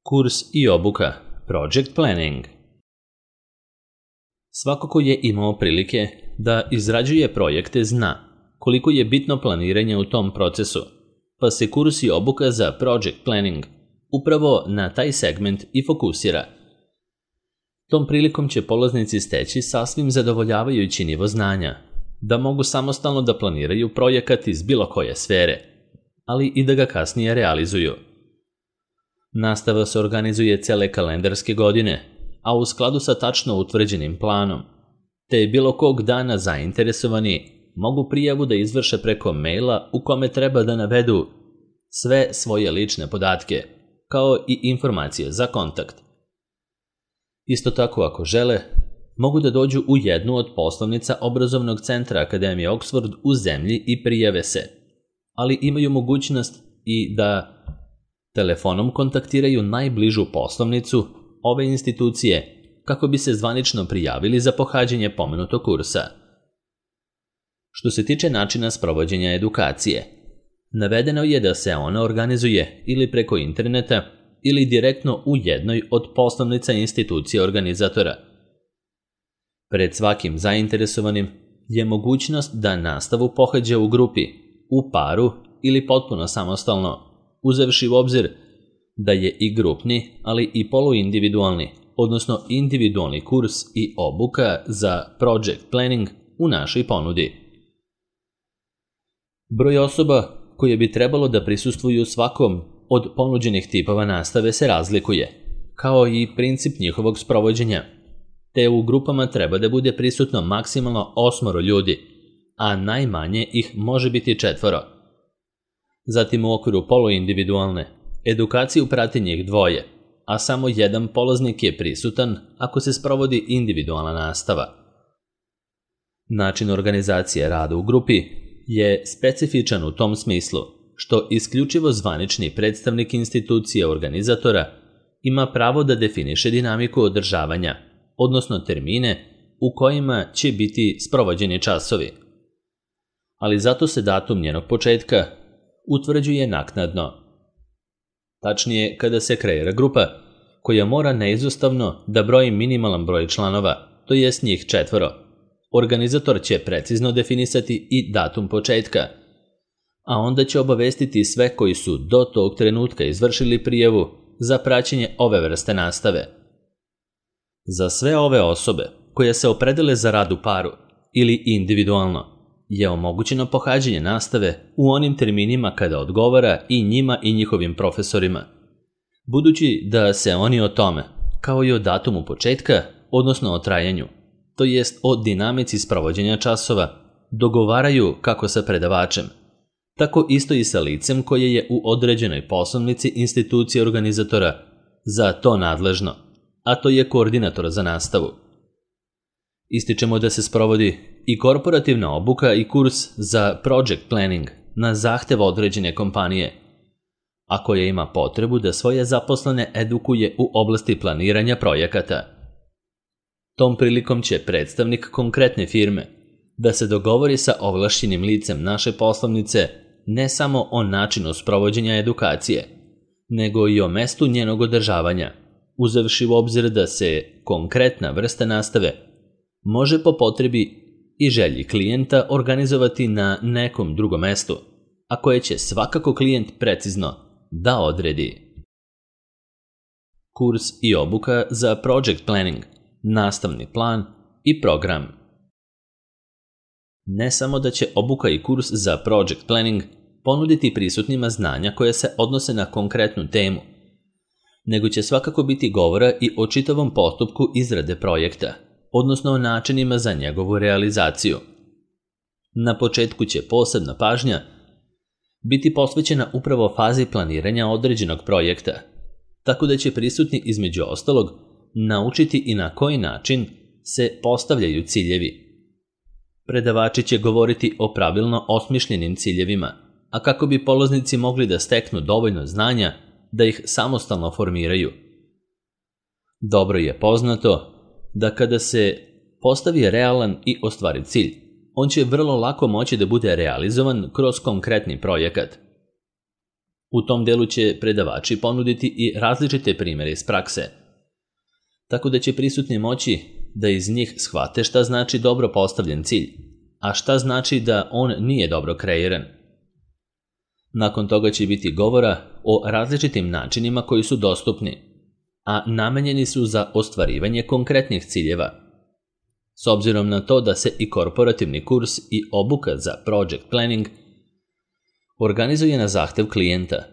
Kurs i obuka Project Planning. Svako ko je imao prilike da izrađuje projekte zna koliko je bitno planiranje u tom procesu, pa se kurs i obuka za Project Planning upravo na taj segment i fokusira. Tom prilikom će polaznici steći sasvim zadovoljavajući nivo znanja, da mogu samostalno da planiraju projekat iz bilo koje sfere, ali i da ga kasnije realizuju. Nastava se organizuje cele kalendarske godine, a u skladu sa tačno utvrđenim planom, te bilo kog dana zainteresovani mogu prijavu da izvrše preko maila u kome treba da navedu sve svoje lične podatke, kao i informacije za kontakt. Isto tako, ako žele, mogu da dođu u jednu od poslovnica obrazovnog centra Akademije Oxford u zemlji i prijave se, ali imaju mogućnost i da telefonom kontaktiraju najbližu poslovnicu ove institucije kako bi se zvanično prijavili za pohađanje pomenutog kursa. Što se tiče načina sprovođenja edukacije, navedeno je da se ona organizuje ili preko interneta ili direktno u jednoj od poslovnica institucije organizatora. Pred svakim zainteresovanim je mogućnost da nastavu pohađa u grupi, u paru ili potpuno samostalno, uzevši u obzir da je i grupni, ali i poluindividualni, odnosno individualni kurs i obuka za Project Planning u našoj ponudi. Broj osoba koje bi trebalo da prisustvuju svakom od ponuđenih tipova nastave se razlikuje, kao i princip njihovog sprovođenja, te u grupama treba da bude prisutno maksimalno 8 ljudi, a najmanje ih može biti 4. Zatim u okviru poluindividualne edukaciju prati njih 2, a samo jedan polaznik je prisutan ako se sprovodi individualna nastava. Način organizacije rada u grupi je specifičan u tom smislu što isključivo zvanični predstavnik institucije organizatora ima pravo da definiše dinamiku održavanja, odnosno termine u kojima će biti sprovođeni časovi. Ali zato se datum njenog početka utvrđuje naknadno. Tačnije, kada se kreira grupa koja mora neizostavno da broji minimalan broj članova, to jest njih 4. Organizator će precizno definisati i datum početka, a onda će obavestiti sve koji su do tog trenutka izvršili prijavu za praćenje ove vrste nastave. Za sve ove osobe koje se opredele za rad u paru ili individualno je omogućeno pohađanje nastave u onim terminima kada odgovara i njima i njihovim profesorima, budući da se oni o tome, kao i o datumu početka, odnosno o trajanju, to jest o dinamici sprovođenja časova, dogovaraju kako sa predavačem, tako isto i sa licem koje je u određenoj poslovnici institucije organizatora za to nadležno, a to je koordinator za nastavu. Ističemo da se sprovodi i korporativna obuka i kurs za Project Planning na zahtev određene kompanije, a koja ima potrebu da svoje zaposlene edukuje u oblasti planiranja projekata. Tom prilikom će predstavnik konkretne firme da se dogovori sa ovlašćenim licem naše poslovnice ne samo o načinu sprovođenja edukacije, nego i o mestu njenog održavanja, uzevši u obzir da se konkretna vrsta nastave može po potrebi i želji klijenta organizovati na nekom drugom mestu, a koje će svakako klijent precizno da odredi. Kurs i obuka za Project Planning, nastavni plan i program. Ne samo da će obuka i kurs za Project Planning ponuditi prisutnima znanja koje se odnose na konkretnu temu, nego će svakako biti govora i o čitavom postupku izrade projekta, odnosno o načinima za njegovu realizaciju. Na početku će posebna pažnja biti posvećena upravo fazi planiranja određenog projekta, tako da će prisutni između ostalog naučiti i na koji način se postavljaju ciljevi. Predavači će govoriti o pravilno osmišljenim ciljevima, a kako bi polaznici mogli da steknu dovoljno znanja da ih samostalno formiraju. Dobro je poznato da kada se postavi realan i ostvariv cilj, on će vrlo lako moći da bude realizovan kroz konkretni projekat. U tom delu će predavači ponuditi i različite primjere iz prakse, tako da će prisutni moći da iz njih shvate šta znači dobro postavljen cilj, a šta znači da on nije dobro kreiran. Nakon toga će biti govora o različitim načinima koji su dostupni, a namenjeni su za ostvarivanje konkretnih ciljeva. S obzirom na to da se i korporativni kurs i obuka za project planning organizuje na zahtev klijenta,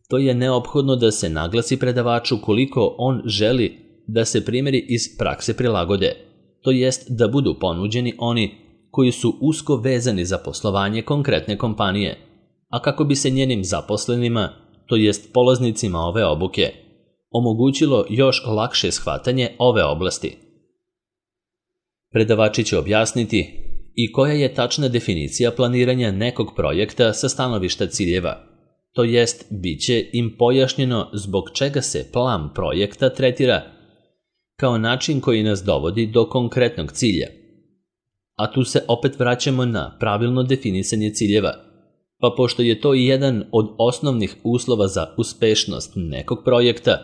to je neophodno da se naglasi predavaču koliko on želi da se primjeri iz prakse prilagode, to jest da budu ponuđeni oni koji su usko vezani za poslovanje konkretne kompanije, a kako bi se njenim zaposlenima, to jest polaznicima ove obuke, omogućilo još lakše shvatanje ove oblasti. Predavači će objasniti i koja je tačna definicija planiranja nekog projekta sa stanovišta ciljeva, to jest bit će im pojašnjeno zbog čega se plan projekta tretira kao način koji nas dovodi do konkretnog cilja. A tu se opet vraćamo na pravilno definisanje ciljeva, pa pošto je to i jedan od osnovnih uslova za uspešnost nekog projekta,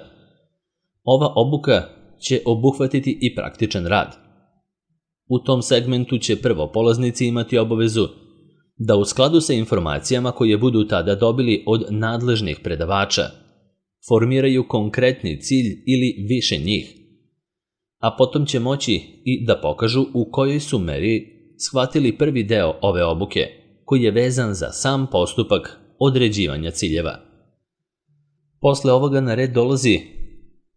ova obuka će obuhvatiti i praktičan rad. U tom segmentu će prvo polaznici imati obavezu da u skladu sa informacijama koje budu tada dobili od nadležnih predavača formiraju konkretni cilj ili više njih, a potom će moći i da pokažu u kojoj su meri shvatili prvi deo ove obuke, koji je vezan za sam postupak određivanja ciljeva. Posle ovoga na red dolazi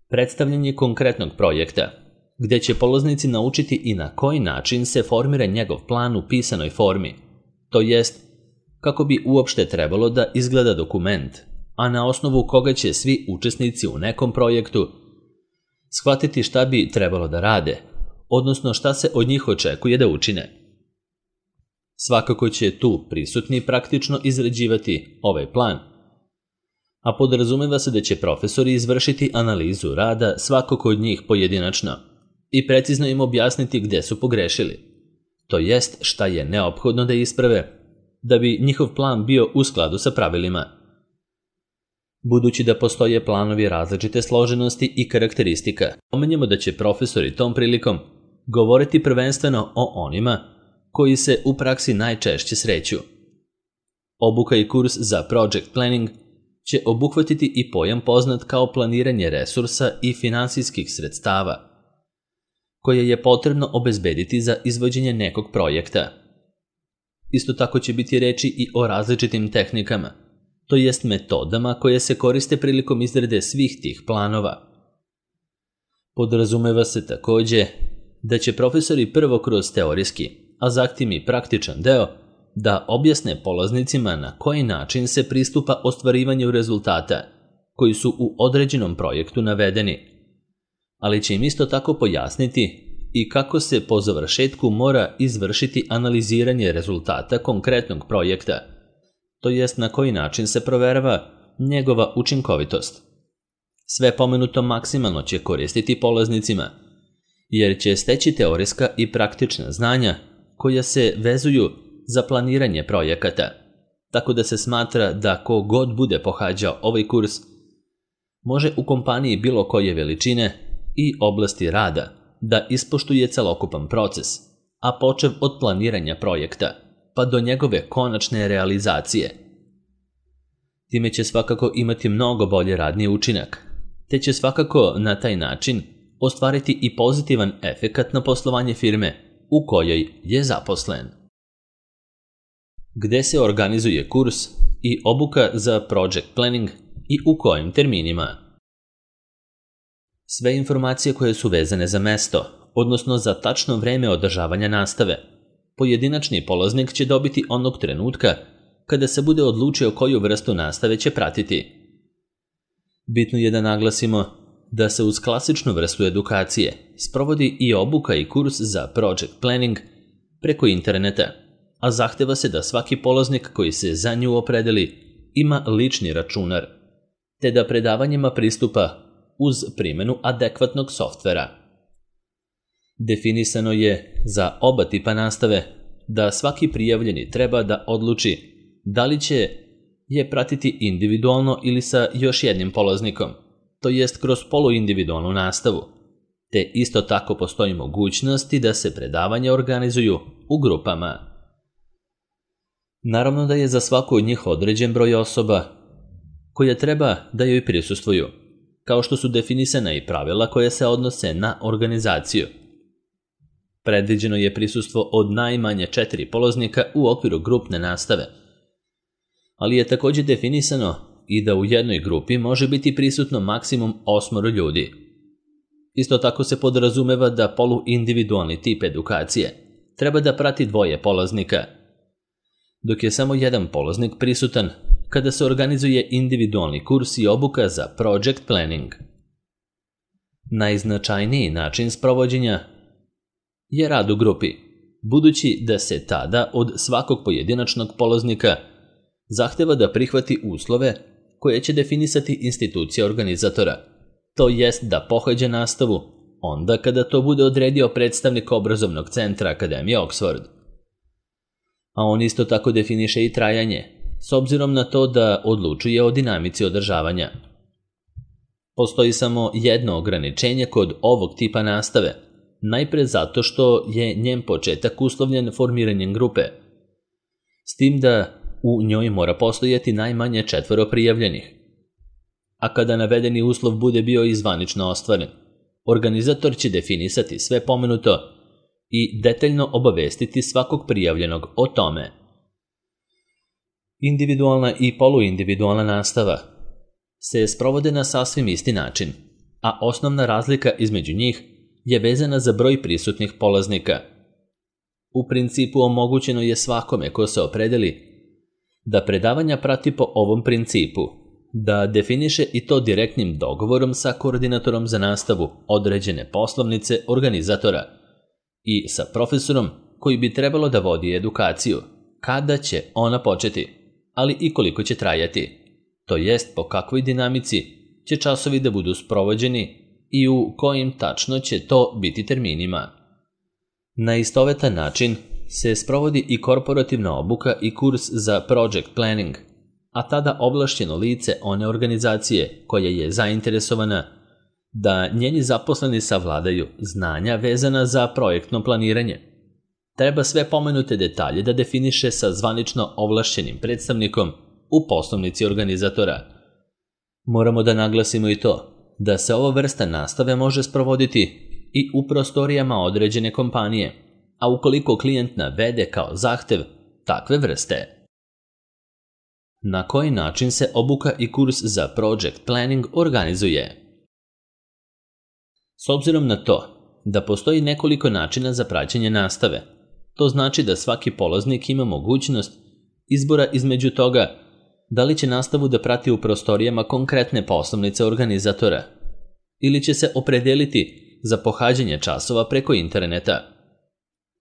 predstavljanje konkretnog projekta, gde će polaznici naučiti i na koji način se formira njegov plan u pisanoj formi, to jest kako bi uopšte trebalo da izgleda dokument, a na osnovu koga će svi učesnici u nekom projektu shvatiti šta bi trebalo da rade, odnosno šta se od njih očekuje da učine. Svakako će tu prisutni praktično izrađivati ovaj plan, a podrazumeva se da će profesori izvršiti analizu rada svakog od njih pojedinačno i precizno im objasniti gde su pogrešili, to jest šta je neophodno da isprave da bi njihov plan bio u skladu sa pravilima. Budući da postoje planovi različite složenosti i karakteristika, pomenjemo da će profesori tom prilikom govoriti prvenstveno o onima koji se u praksi najčešće sreću. Obuka i kurs za project planning će obuhvatiti i pojam poznat kao planiranje resursa i finansijskih sredstava, koje je potrebno obezbediti za izvođenje nekog projekta. Isto tako će biti reči i o različitim tehnikama, to jest metodama koje se koriste prilikom izrade svih tih planova. Podrazumeva se takođe da će profesori prvo kroz teorijski, a zatim i praktičan deo, da objasne polaznicima na koji način se pristupa ostvarivanju rezultata koji su u određenom projektu navedeni, ali će im isto tako pojasniti i kako se po završetku mora izvršiti analiziranje rezultata konkretnog projekta, to jest na koji način se proverava njegova učinkovitost. Sve pomenuto maksimalno će koristiti polaznicima, jer će steći teorijska i praktična znanja koja se vezuju za planiranje projekata, tako da se smatra da ko god bude pohađao ovaj kurs može u kompaniji bilo koje veličine i oblasti rada da ispoštuje celokupan proces, a počev od planiranja projekta pa do njegove konačne realizacije. Time će svakako imati mnogo bolje radni učinak, te će svakako na taj način ostvariti i pozitivan efekat na poslovanje firme u kojoj je zaposlen. Gde se organizuje kurs i obuka za project planning i u kojim terminima? Sve informacije koje su vezane za mesto, odnosno za tačno vreme održavanja nastave, pojedinačni polaznik će dobiti onog trenutka kada se bude odlučio koju vrstu nastave će pratiti. Bitno je da naglasimo da se uz klasičnu vrstu edukacije sprovodi i obuka i kurs za project planning preko interneta, a zahteva se da svaki polaznik koji se za nju opredeli ima lični računar, te da predavanjima pristupa uz primjenu adekvatnog softvera. Definisano je za oba tipa nastave da svaki prijavljeni treba da odluči da li će je pratiti individualno ili sa još jednim polaznikom, to jest kroz poluindividualnu nastavu, te isto tako postoji mogućnosti da se predavanja organizuju u grupama. Naravno da je za svaku od njih određen broj osoba koje treba da joj prisustvuju, kao što su definisana i pravila koje se odnose na organizaciju. Predviđeno je prisustvo od najmanje 4 polaznika u okviru grupne nastave, ali je također definisano i da u jednoj grupi može biti prisutno maksimum 8 ljudi. Isto tako se podrazumeva da poluindividualni tip edukacije treba da prati 2 polaznika, dok je samo jedan polaznik prisutan kada se organizuje individualni kurs i obuka za project planning. Najznačajniji način sprovođenja je rad u grupi, budući da se tada od svakog pojedinačnog polaznika zahteva da prihvati uslove koje će definisati institucija organizatora, to jest da pohađa nastavu onda kada to bude odredio predstavnik obrazovnog centra Akademije Oxford. A on isto tako definiše i trajanje, s obzirom na to da odlučuje o dinamici održavanja. Postoji samo jedno ograničenje kod ovog tipa nastave, najpre zato što je njen početak uslovljen formiranjem grupe, s tim da u njoj mora postojati najmanje 4 prijavljenih. A kada navedeni uslov bude bio i zvanično ostvaren, organizator će definisati sve pomenuto i detaljno obavestiti svakog prijavljenog o tome. Individualna i poluindividualna nastava se sprovode na sasvim isti način, a osnovna razlika između njih je vezana za broj prisutnih polaznika. U principu omogućeno je svakome ko se opredeli da predavanja prati po ovom principu, da definiše i to direktnim dogovorom sa koordinatorom za nastavu određene poslovnice organizatora i sa profesorom koji bi trebalo da vodi edukaciju, kada će ona početi, ali i koliko će trajati, to jest po kakvoj dinamici će časovi da budu sprovođeni i u kojim tačno će to biti terminima. Na istovetan način se sprovodi i korporativna obuka i kurs za project planning, a tada ovlašćeno lice one organizacije koja je zainteresovana da njeni zaposleni savladaju znanja vezana za projektno planiranje. Treba sve pomenute detalje da definiše sa zvanično ovlašćenim predstavnikom u poslovnici organizatora. Moramo da naglasimo i to da se ova vrsta nastave može sprovoditi i u prostorijama određene kompanije, a ukoliko klijent navede kao zahtev takve vrste. Na koji način se obuka i kurs za project planning organizuje? S obzirom na to da postoji nekoliko načina za praćenje nastave, to znači da svaki polaznik ima mogućnost izbora između toga da li će nastavu da prati u prostorijama konkretne poslovnice organizatora ili će se opredeliti za pohađanje časova preko interneta.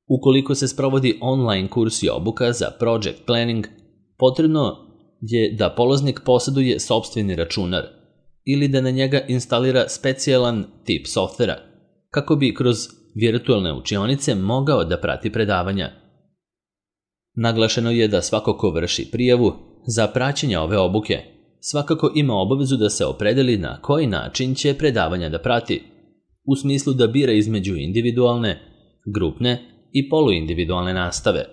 Ukoliko se sprovodi online kurs i obuka za project planning, potrebno je da polaznik posjeduje sopstveni računar ili da na njega instalira specijalan tip softvera, kako bi kroz virtualne učionice mogao da prati predavanja. Naglašeno je da svako ko vrši prijavu za praćenje ove obuke svakako ima obavezu da se opredeli na koji način će predavanja da prati, u smislu da bira između individualne, grupne i poluindividualne nastave.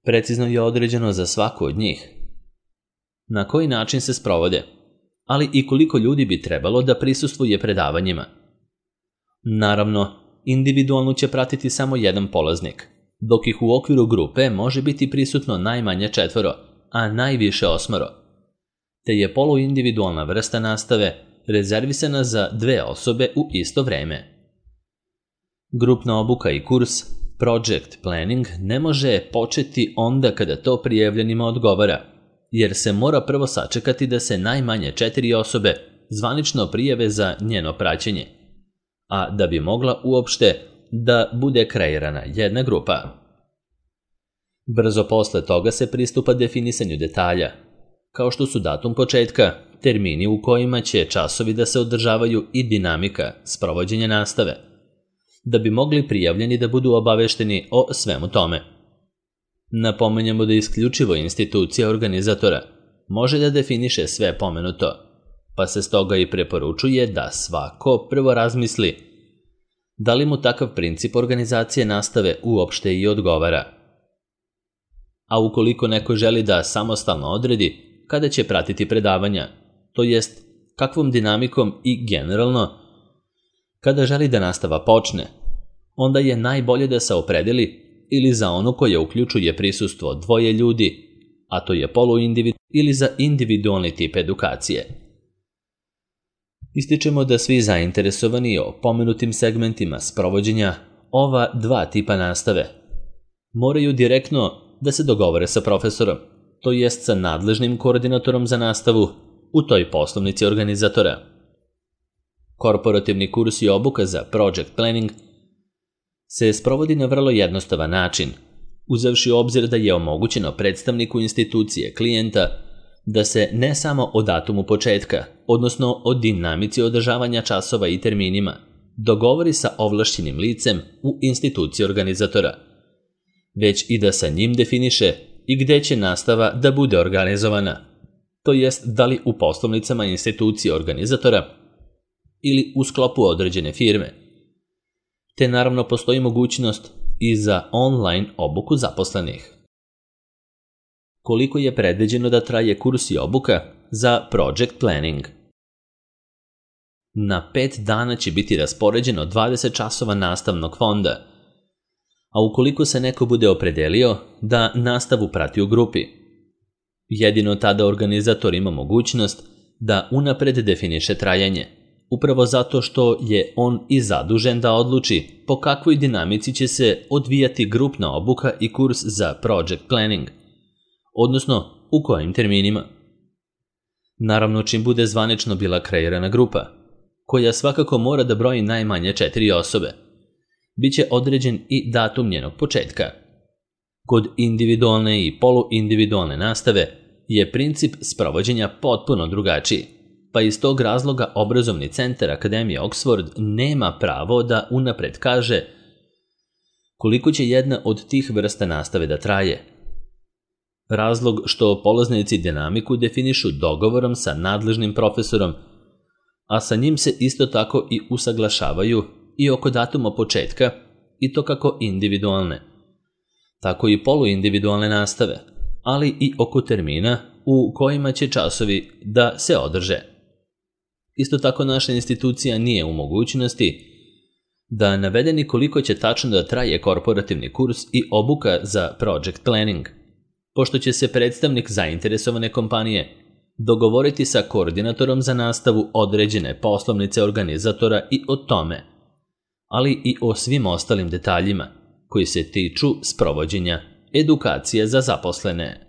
Precizno je određeno za svaku od njih na koji način se sprovode, ali i koliko ljudi bi trebalo da prisustvuje predavanjima. Naravno, individualno će pratiti samo jedan polaznik, dok ih u okviru grupe može biti prisutno najmanje 4, a najviše 8, te je poluindividualna vrsta nastave rezervisana za 2 osobe u isto vreme. Grupna obuka i kurs project planning ne može početi onda kada to prijavljenima odgovara, jer se mora prvo sačekati da se najmanje 4 osobe zvanično prijave za njeno praćenje, a da bi mogla uopšte da bude kreirana jedna grupa. Brzo posle toga se pristupa definisanju detalja, kao što su datum početka, termini u kojima će časovi da se održavaju i dinamika sprovođenja nastave, da bi mogli prijavljeni da budu obavešteni o svemu tome. Napominjemo da isključivo institucija organizatora može da definiše sve pomenuto, pa se stoga i preporučuje da svako prvo razmisli da li mu takav princip organizacije nastave uopšte i odgovara. A ukoliko neko želi da samostalno odredi kada će pratiti predavanja, to jest kakvom dinamikom i generalno kada želi da nastava počne, onda je najbolje da se opredeli ili za onu koja uključuje prisustvo dvoje ljudi, a to je poluindividualni ili za individualni tip edukacije. Ističemo da svi zainteresovani o pomenutim segmentima sprovođenja ova dva tipa nastave moraju direktno da se dogovore sa profesorom, to jest sa nadležnim koordinatorom za nastavu u toj poslovnici organizatora. Korporativni kurs i obuka za project planning se sprovodi na vrlo jednostavan način, uzevši u obzir da je omogućeno predstavniku institucije klijenta da se ne samo o datumu početka, odnosno o dinamici održavanja časova i terminima, dogovori sa ovlašćenim licem u instituciji organizatora, već i da sa njim definiše i gde će nastava da bude organizovana, to jest da li u poslovnicama institucije organizatora ili u sklopu određene firme, te naravno postoji mogućnost i za online obuku zaposlenih. Koliko je predviđeno da traje kurs i obuka za project planning? Na 5 dana će biti raspoređeno 20 časova nastavnog fonda, a ukoliko se neko bude opredelio da nastavu prati u grupi, jedino tada organizator ima mogućnost da unapred definiše trajanje, upravo zato što je on i zadužen da odluči po kakvoj dinamici će se odvijati grupna obuka i kurs za project planning, odnosno u kojim terminima. Naravno, čim bude zvanično bila kreirana grupa, koja svakako mora da broji najmanje 4 osobe, biće određen i datum njenog početka. Kod individualne i poluindividualne nastave je princip sprovođenja potpuno drugačiji, pa iz tog razloga obrazovni centar Akademije Oxford nema pravo da unapred kaže koliko će jedna od tih vrsta nastave da traje. Razlog što polaznici dinamiku definišu dogovorom sa nadležnim profesorom, a sa njim se isto tako i usaglašavaju i oko datuma početka, i to kako individualne, tako i poluindividualne nastave, ali i oko termina u kojima će časovi da se održe. Isto tako naša institucija nije u mogućnosti da navede ni koliko će tačno da traje korporativni kurs i obuka za project planning, pošto će se predstavnik zainteresovane kompanije dogovoriti sa koordinatorom za nastavu određene poslovnice organizatora i o tome, ali i o svim ostalim detaljima koji se tiču sprovođenja edukacije za zaposlene.